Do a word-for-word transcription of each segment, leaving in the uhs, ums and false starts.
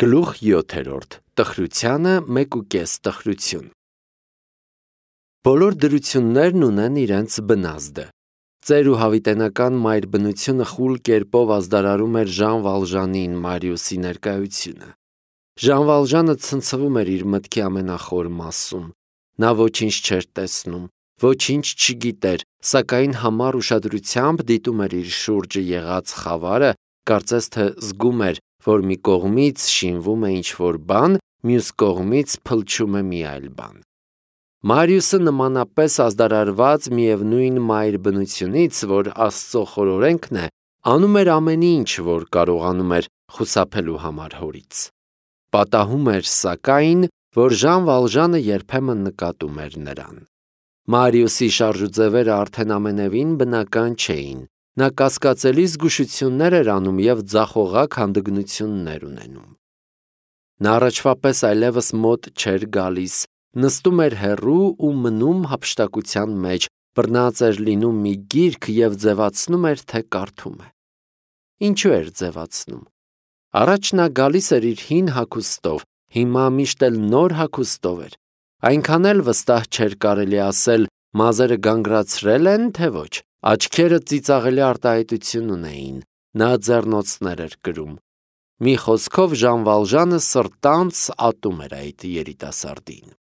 Գլուխ յոթերորդ. Տխրությանը մեկ ու կես տխրություն։ Բոլոր դրություններն ունեն իրենց բնազդը։ Ծեր ու հավիտենական մայր բնությունը խուլ կերպով ազդարարում էր Ժան Վալժանին Մարիուսի ներկայությունը։ Ժան Վալժանը ցնցվում էր իր մտքի ամենախոր մասում։ Նա ոչինչ չէր տեսնում, ոչինչ չգիտեր, սակայն համառ ուշադրությամբ դիտում էր իր շուրջը եղած խավարը, կարծես թե զգում էր, որ մի կողմից շինվում է ինչ-որ բան, մյուս կողմից փլչում է մի այլ բան։ Մարիուսը նմանապես ազդարարված միևնույն մայր բնությունից, որ Աստծո խորօրենքն է, անում էր ամեն ինչ, որ կարողանում էր խուսափելու համար հորից։ Պատահում էր, սակայն, որ Ժան Վալժանը երբեմն նկատում էր նրան։ Մարիուսի շարժուձևերը արդեն ամենևին բնական չէին։ Նա կասկածելի զգուշություններ էր անում և ձախողակ հանդգնություններ ունենում։ Նա առաջվա պես այլևս մոտ չէր գալիս, նստում էր հեռու ու մնում հափշտակության մեջ, բռնած էր լինում մի գիրք և ձևացնում էր, թե կարդում է։ Ինչու էր ձևացնում։ Առաջ նա գալիս էր իր հին հագուստով, հիմա միշտ էլ նոր հագուստով էր։ Այնքան էլ վստահ չէր կարելի ասել մազերը գանգրացրել են, թե ոչ։ Աչքերը ծիծաղելի արտահայտություն ունեին, նա ձեռնոցներ էր կրում։ Մի խոսքով Ժան Վալժանը սրտանց ատում էր այդ երիտասարդին։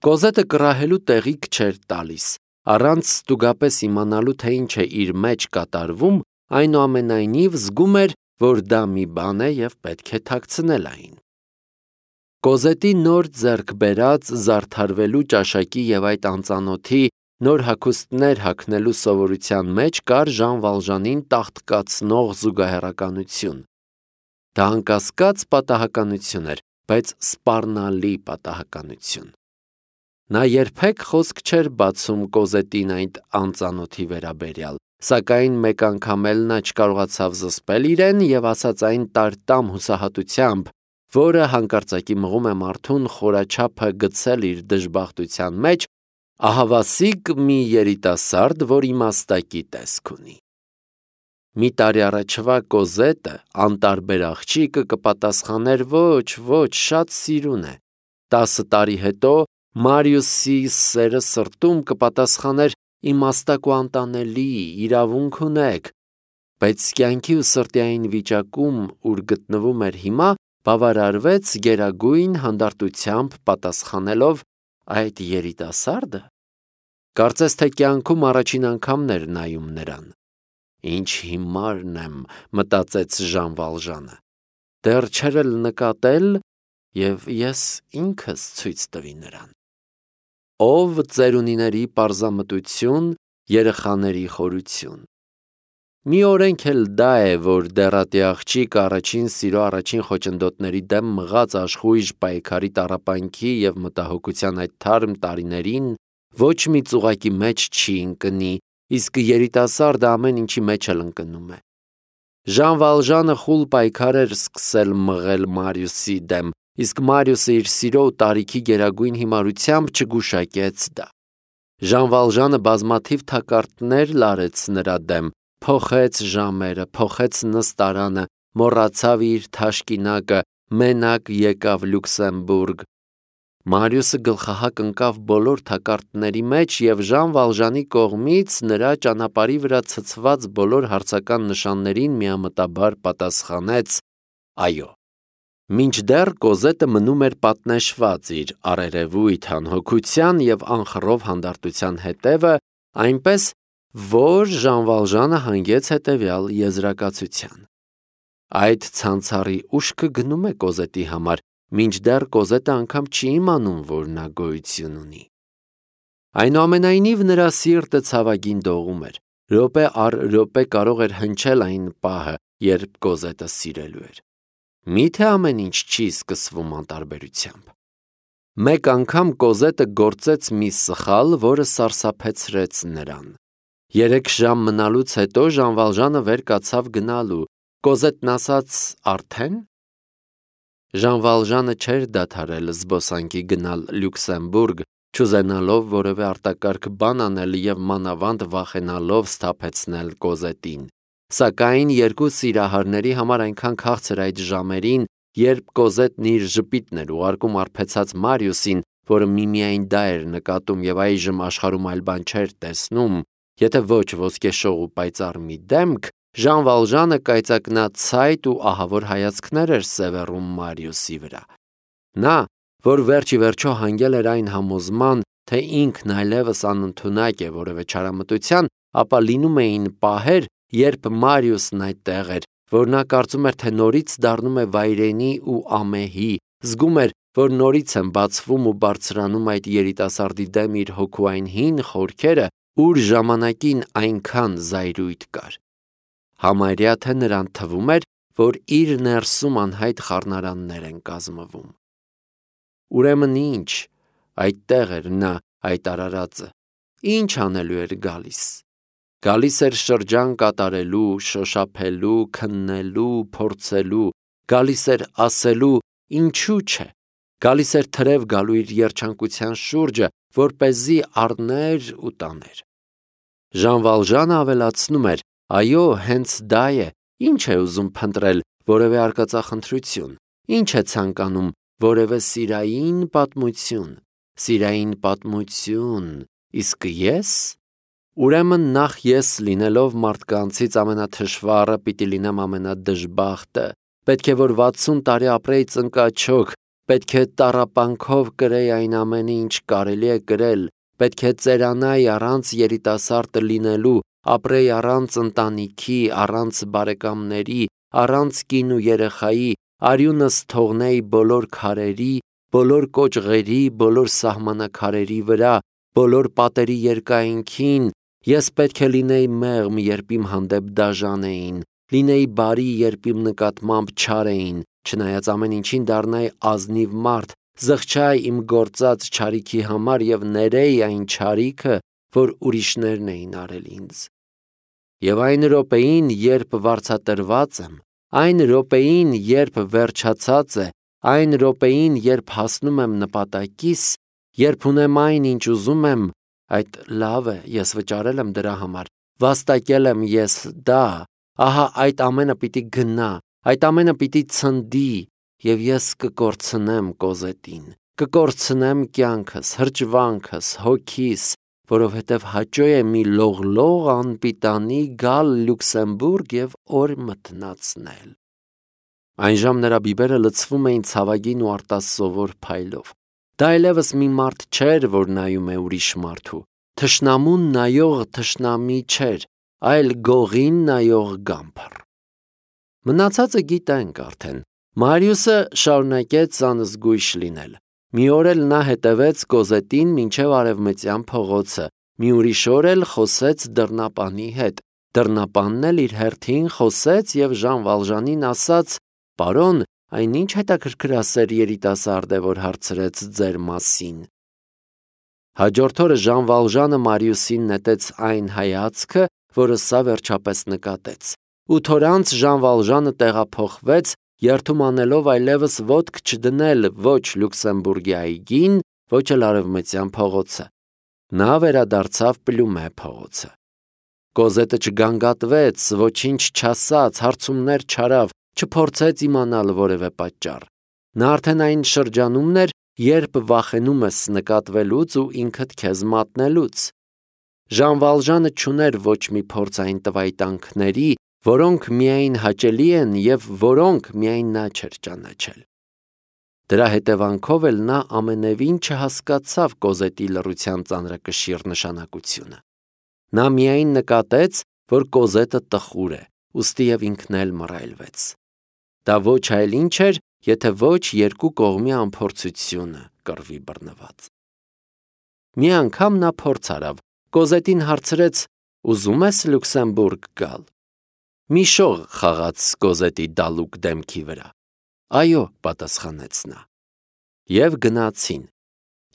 Կոզետը կռահելու տեղիք չէր տալիս, առանց ստուգապես իմանալու, թե ինչ է իր մեջ կատարվում, այնուամենայնիվ զգում էր, որ դա մի բան է և պետք է թաքցնել այն։ Կոզետի նոր ձեռք բերած զարդարվելու ճաշակի և այդ անծանոթի նոր հագուստներ հագնելու սովորության մեջ կար Ժան Վալժանին տաղտկացնող զուգահեռականություն։ Դա անկասկած պատահականություն էր, բայց սպառնալի պատահականություն։ Նա երբեք խոսք չէր բացում Կոզետին այդ անծանոթի վերաբերյալ, սակայն մեկ անգամ էլ նա չկարողացավ զսպել իրեն և ասաց այն տար-տամ հուսահատությամբ, որը հանկարծակի մղում է մարդուն խորաչափը գցել իր դժբախտության մեջ, ահավասիկ մի երիտասարդ, որ իմաստակի տեսք ունի։ Մի տարի առաջվա Կոզետը, անտարբեր աղջիկը, կպատասխաներ ոչ, ոչ, շատ սիրուն է։ Տասը տարի հետո Մարիուսի սերը սրտում կպատասխաներ իմաստակ ու անտանելի, իրավունք ունեք, բայց կյանքի ու սրտի այն վիճակում, ուր գտնվում էր հիմա, բավարարվեց գերագույն հանդարտությամբ պատասխանելով այդ երիտասարդը։ Կարծես թե կյանքում առաջին անգամն էր նայում նրան։ Ինչ հիմարն եմ, մտածեց Ժան Վալժանը։ Դեռ չէր էլ նկատել, և ես ինքս ցույց տվի նրան։ Ով ծերունիների պարզամտություն, երեխաների խորություն։ Մի օրենք էլ դա է, որ դեռատի աղջիկը առաջին սիրո առաջին խոչընդոտների դեմ մղած աշխույժ պայքարի տառապանքի և մտահոգության այդ թարմ տարիներին ոչ մի ծուղակի մեջ չի ընկնի, իսկ երիտասարդը ամեն ինչի մեջ էլ ընկնում է։ Ժան Վալժանը խուլ պայքար էր սկսել մղել Մարիուսի դեմ, իսկ Մարիուսը իր սիրո ու տարիքի գերագույն հիմարությամբ չգուշակեց դա։ Ժան Վալժանը բազմաթիվ թակարդներ լարեց նրա դեմ, փոխեց ժամերը, փոխեց նստարանը, մոռացավ իր թաշկինակը, մենակ եկավ Լյուքսեմբուրգ։ Մարիուսը գլխահակ ընկավ բոլոր թակարդների մեջ և Ժան Վալժանի կողմից նրա ճանապարհի վրա ցցված բոլոր հարցական նշաններին միամտաբար պատասխանեց այո։ Մինչդեռ Կոզետը մնում էր պատնեշված իր առերևույթ անհոգության և անխռով հանդարտության հետևը, այնպես, որ Ժան Վալժանը հանգեց հետևյալ եզրակացության. այդ ցանցառի ուշքը գնում է Կոզետի համար, մինչդեռ Կոզետը անգամ չի իմանում, որ նա գոյություն ունի։ Այնուամենայնիվ նրա սիրտը ցավագին դողում էր, րոպե առ րոպե կարող էր հնչել այն պահը, երբ Կոզետը սիրելու էր։ Միթե ամեն ինչ չի սկսվում անտարբերությամբ։ Մեկ անգամ Կոզետը գործեց մի սխալ, որը սարսափեցրեց նրան։ Երեք ժամ մնալուց հետո Ժան Վալժանը վեր կացավ գնալու։ Կոզետն ասաց. արդեն։ Ժան Վալժանը չէր դադարել զբոսանքի գնալ Լյուքսեմբուրգ, չուզենալով որևէ արտակարգ բան անել և մանավանդ վախենալով սթափեցնել Կոզետին։ Սակայն երկու սիրահարների համար այնքան քաղցր այդ ժամերին երբ Կոզետն իր ժպիտն էր ուղարկում արբեցած Մարիուսին, որը միմիայն դա էր նկատում եւ այժմ աշխարհում այլ բան չէր տեսնում, եթե ոչ ոսկեշող ու պայծառ մի դեմք, Ժան Վալժանը կայծակնացայտ ու ահավոր հայացքներ էր սևեռում Մարիուսի վրա։ Նա, որ վերջի վերջո հանգել էր այն համոզման, թե ինքն այլևս անընդունակ է որևէ չարամտության, ապա լինում էին պահեր, երբ Մարիուսն այդտեղ էր, որ նա կարծում էր, թե նորից դառնում է վայրենի ու ամեհի, զգում էր, որ նորից են բացվում ու բարձրանում այդ երիտասարդի դեմ իր հոգու այն հին խորքերը, ուր ժամանակին այնքան զայրույթ կար։ Համարյա թե նրան թվում էր, որ իր ներսում անհայտ խառնարաններ են կազմվում։ Ուրեմն ինչ, այդտեղ էր նա, այդ արարածը, ինչ անելու էր գալիս։ Գալիս էր շրջան կատարելու, շոշափելու, քննելու, փորձելու, գալիս էր ասելու, ինչու՞ չէ, գալիս էր թրև գալու իր երջանկության շուրջը, որպեսզի առներ ու տաներ։ Ժան Վալժանը ավելացնում էր. այո, հենց դա է, ինչ է ուզում փնտրել, որևէ արկածախնդրություն, ինչ է ցանկանում, որևէ սիրային պատմություն, սիրային պատմություն, իսկ ես… Ուրեմն նախ ես լինելով մարդկանցից ամենաթշվառը պիտի լինեմ ամենադժբախտը, պետք է որ վաթսուն տարի ապրեի ծնկաչոք, պետք է տառապանքով կրեի այն ամենը, ինչ կարելի է կրել, պետք է ծերանայի առանց երիտասարդ լինելու, ապրեի առանց ընտանիքի, առանց բարեկամների, առանց կին ու երեխայի, արյունս թողնեի բոլոր քարերի, բոլոր կոճղերի, բոլոր սահմանակարերի վրա, բոլոր պատերի երկայնքին, ես պետք է լինեի մեղմ, երբ իմ հանդեպ դաժան էին, լինեի բարի, երբ իմ նկատմամբ չար էին, չնայած ամեն ինչին դառնայի ազնիվ մարդ, զղջայի իմ գործած չարիքի համար եւ ներեի այն չարիքը, որ ուրիշներն էին արել ինձ։ Եվ այն րոպեին, երբ վարձատրված եմ, այն րոպեին, երբ վերջացած է, այն րոպեին, երբ հասնում եմ նպատակիս, երբ ունեմ այն, ինչ ուզում եմ, այդ լավ է, ես վճարել եմ դրա համար, վաստակել եմ ես դա, ահա այդ ամենը պիտի գնա, այդ ամենը պիտի ցնդի, եւ ես կկորցնեմ Կոզետին, կկորցնեմ կյանքս, հրճվանքս, հոգիս, որովհետև հաճո է մի լողլող անպիտանի գալ Լյուքսեմբուրգ եւ օր մթնացնել։ Այնժամ նրա բիբերը լցվում էին ցավագին ու արտասովոր փայլով։ Դա այլևս մի մարդ չէր, որ նայում է ուրիշ մարդու, թշնամուն նայող թշնամի չէր, այլ գողին նայող գամբար։ Մնացածը գիտենք արդեն։ Մարիուսը շարունակեց անզգույշ լինել։ Մի օր էլ նա հետևեց Կոզետին մինչև արևմտյան փողոցը, մի ուրիշ օր էլ խոսեց դռնապանի հետ։ Դռնապանն էլ իր հերթին խոսեց եւ Ժան Վալժանին ասաց. «Պարոն, այն ինչ հետաքրքրասեր երիտասարդ է, որ հարցրեց ձեր մասին»։ Հաջորդ օրը Ժան Վալժանը Մարիուսին նետեց այն հայացքը, որը սա վերջապես նկատեց։ Ութ օր անց Ժան Վալժանը տեղափոխվեց, երթում անելով այլևս ոտք չդնել ոչ Լյուքսեմբուրգի այգին, ոչ էլ արևմտյան փողոցը։ Նա վերադարձավ Պլյումե փողոցը։ Կոզետը չգանգատվեց, ոչինչ չասաց, հարցումներ չարավ, չփորձեց իմանալ որևէ պատճառ։ Նա արդեն այն շրջանումն էր, երբ վախենում ես նկատվելուց ու ինքդ քեզ մատնելուց։ Ժան Վալժանը չուներ ոչ մի փորձ այն տվայտանքների, որոնք միայն հաճելի են եւ որոնք միայն նա չէր ճանաչել։ Դրա հետևանքով էլ նա ամենևին չհասկացավ Կոզետի լռության ծանրակշիռ նշանակությունը։ Նա միայն նկատեց, որ Կոզետը տխուր է, ուստի եւ ինքն էլ մռայլվեց։ Դա ոչ այլ ինչ էր, եթե ոչ երկու կողմի անփորձությունը կռվի բռնված։ Մի անգամ նա փորձ արավ, Կոզետին հարցրեց. «Ուզում ես Լյուքսեմբուրգ գալ»։ Մի շող խաղաց Կոզետի դալուկ դեմքի վրա։ «Այո», պատասխանեց նա։ Եվ գնացին։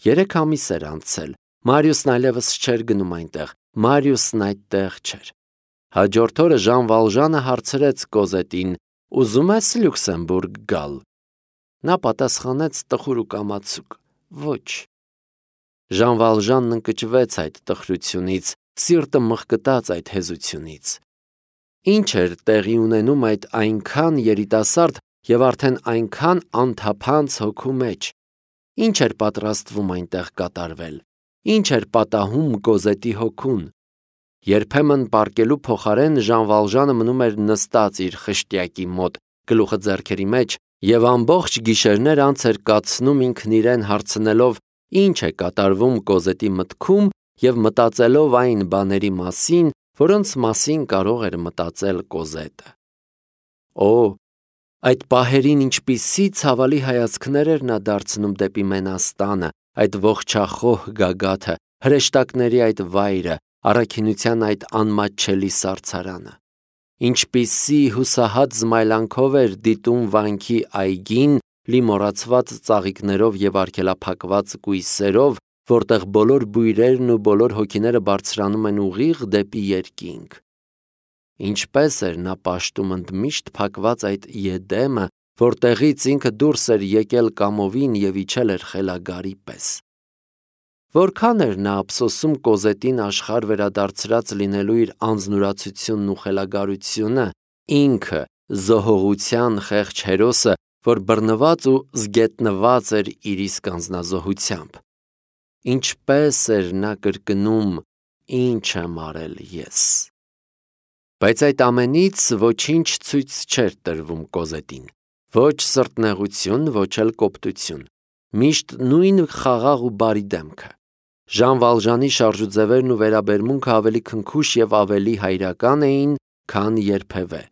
Երեք ամիս էր անցել, Մարիուսն այլևս չէր գնում այնտեղ, Մարիուսն այդտեղ չէր։ Հաջորդ օրը Ժան Վալժանը հարցրեց Կոզետին. «Ուզում ես Լյուքսեմբուրգ գալ»։ Նա պատասխանեց տխուր ու կամացուկ. «Ոչ»։ Ժան Վալժանն ընկճվեց այդ տխրությունից, սիրտը մղկտաց այդ հեզությունից։ Ինչ էր տեղի ունենում այդ այնքան երիտասարդ, եւ արդեն այնքան անթափանց հոգու մեջ։ Ինչ էր պատրաստվում այնտեղ կատարվել։ Ինչ էր պատահում Կոզետի հոգուն։ Երբեմն պարկելու փոխարեն Ժան Վալժանը մնում էր նստած իր խշտյակի մոտ, գլուխը ձեռքերի մեջ, եւ ամբողջ գիշերներ անց էր կացնում ինքն իրեն հարցնելով, ինչ է կատարվում Կոզետի մտքում եւ մտածելով այն բաների մասին, որոնց մասին կարող էր մտածել Կոզետը։ Օ, այդ պահերին ինչպիսի ցավալի հայացքներ էր նա դարձնում դեպի Մենաստանը, այդ ողջախոհ գագաթը, հրեշտակների այդ վայրը, առաքինության այդ անմատչելի սարցարանը։ Ինչպիսի հուսահատ զմայլանքով էր դիտում վանքի այգին, լի մոռացված ծաղիկներով եւ արգելափակված կույսերով, որտեղ բոլոր բույրերն ու բոլոր հոգիները բարձրանում են ուղիղ դեպի երկինք։ Ինչպես էր նա պաշտում ընդմիշտ փակված այդ Եդեմը, որտեղից ինքը դուրս էր եկել կամովին եւ իջել էր խելագարի պես։ Որքան էր նա ափսոսում Կոզետին աշխարհ վերադարձրած լինելու իր անձնուրացությունն ու խելագարությունը, ինքը զոհողության խեղճ հերոսը, որ բռնված ու զգետնված էր իր իսկ անձնազոհությամբ։ Ինչպես էր նա կրկնում. «Ինչ եմ արել ես»։ Բայց այդ ամենից ոչինչ ցույց չէր տրվում Կոզետին։ Ոչ սրտնեղություն, ոչ էլ կոպտություն։ Միշտ նույն խաղաղ ու բարի դեմքը։ Ժան Վալժանի շարժուձևերն ու վերաբերմունքը ավելի քնքուշ եւ ավելի հայրական էին, քան երբևէ։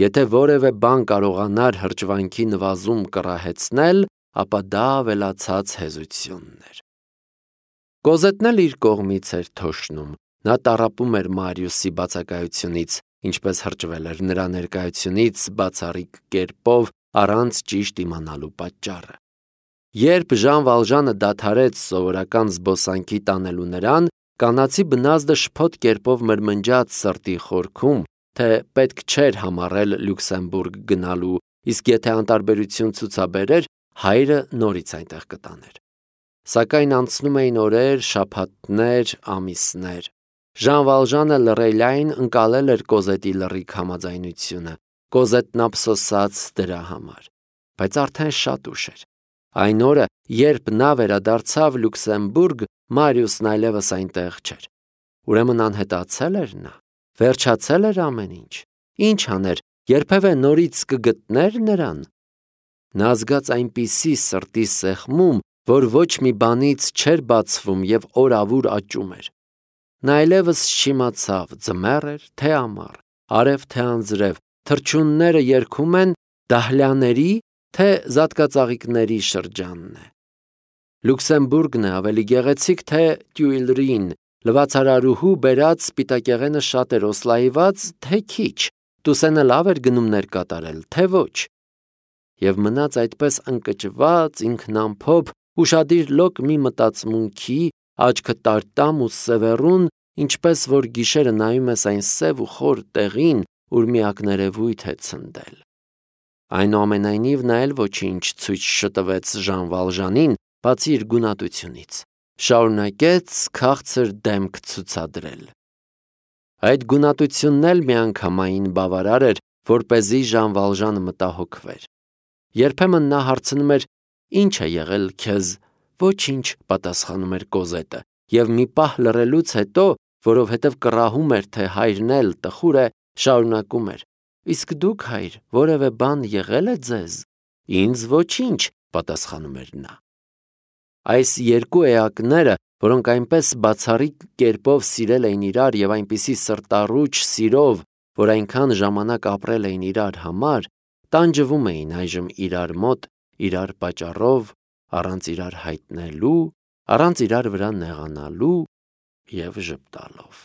Եթե որևէ բան կարողանար հրճվանքի նվազում կռահեցնել, ապա դա ավելացած հեզությունն էր։ Կոզետն էլ իր կողմից էր թոշնում։ Նա տառապում էր Մարիուսի բացակայությունից, ինչպես հրճվել էր նրա ներկայությունից բացառիկ կերպով առանց ճիշտ իմանալու պատճառը։ Երբ Ժան Վալժանը դադարեց սովորական զբոսանքի տանելու նրան, կանացի բնազդը շփոթ կերպով մրմնջաց սրտի խորքում, թե պետք չէր համառել Լյուքսեմբուրգ գնալու, իսկ եթե անտարբերություն ցուցաբերեր, հայրը նորից այնտեղ կտաներ։ Սակայն անցնում էին օրեր, շաբաթներ, ամիսներ։ Ժան Վալժանը լռելային ընկալել էր Կոզետի լռիկ համաձայնությունը։ Կոզետն ափսոսաց դրա համար։ Բայց արդեն շատ ուշ էր։ Այն օրը, երբ նա վերադարձավ Լյուքսեմբուրգ, Մարիուսն այլևս այնտեղ չէր։ Ուրեմն անհետացել էր նա։ Վերջացել էր ամեն ինչ։ Ինչ աներ, երբևէ նորից կգտներ նրան։ Նա զգաց այնպիսի սրտի սեղմում, որ ոչ մի բանից չէր բացվում եւ օրավուր աճում էր։ Նա այլևս չիմացավ ձմեռ էր, թե ամառ, արև թե անձրև, թռչունները երգում են դահլյաների, թե զատկածաղիկների շրջանն է։ Լյուքսեմբուրգն է ավելի գեղեցիկ, թե Տյուիլրին, լվացարարուհու բերած սպիտակեղենը շատ էր օսլայված, թե քիչ, Տուսենը լավ էր գնումներ կատարել, թե ոչ։ Եվ մնաց այդպես ընկճված, ինքնամփոփ, ուշադիր լոկ մի մտածմունքի, աչքը տարտամ ու սևեռուն, ինչպես որ գիշերը նայում ես այն սև ու խոր տեղին, ուր միակներևույթ է ցնդել։ Այնուամենայնիվ նա էլ ոչինչ ցույց չտվեց Ժան Վալժանին, բացի իր գունատությունից։ Շարունակեց քաղցր դեմք ցուցադրել։ Այդ գունատությունն էլ միանգամայն բավարար էր, որպեսզի Ժան Վալժանը մտահոգվեր։ Երբեմն նա հարցնում էր. «Ինչ է եղել քեզ»։ «Ոչինչ», պատասխանում էր Կոզետը, եւ մի պահ լռելուց հետո, որովհետեւ կռահում էր, թե հայրն էլ տխուր է, շարունակում էր. «Իսկ դուք, հայր, որևէ բան եղել է ձեզ»։ «Ինձ ոչինչ», պատասխանում էր նա։ Այս երկու էակները, որոնք այնպես բացառիկ կերպով սիրել էին իրար եւ այնպիսի սրտառուչ սիրով, որ այնքան ժամանակ ապրել էին իրար համար, տանջվում էին այժմ իրար մոտ, իրար պատճառով, առանց իրար հայտնելու, առանց իրար վրա նեղանալու եւ ժպտալով։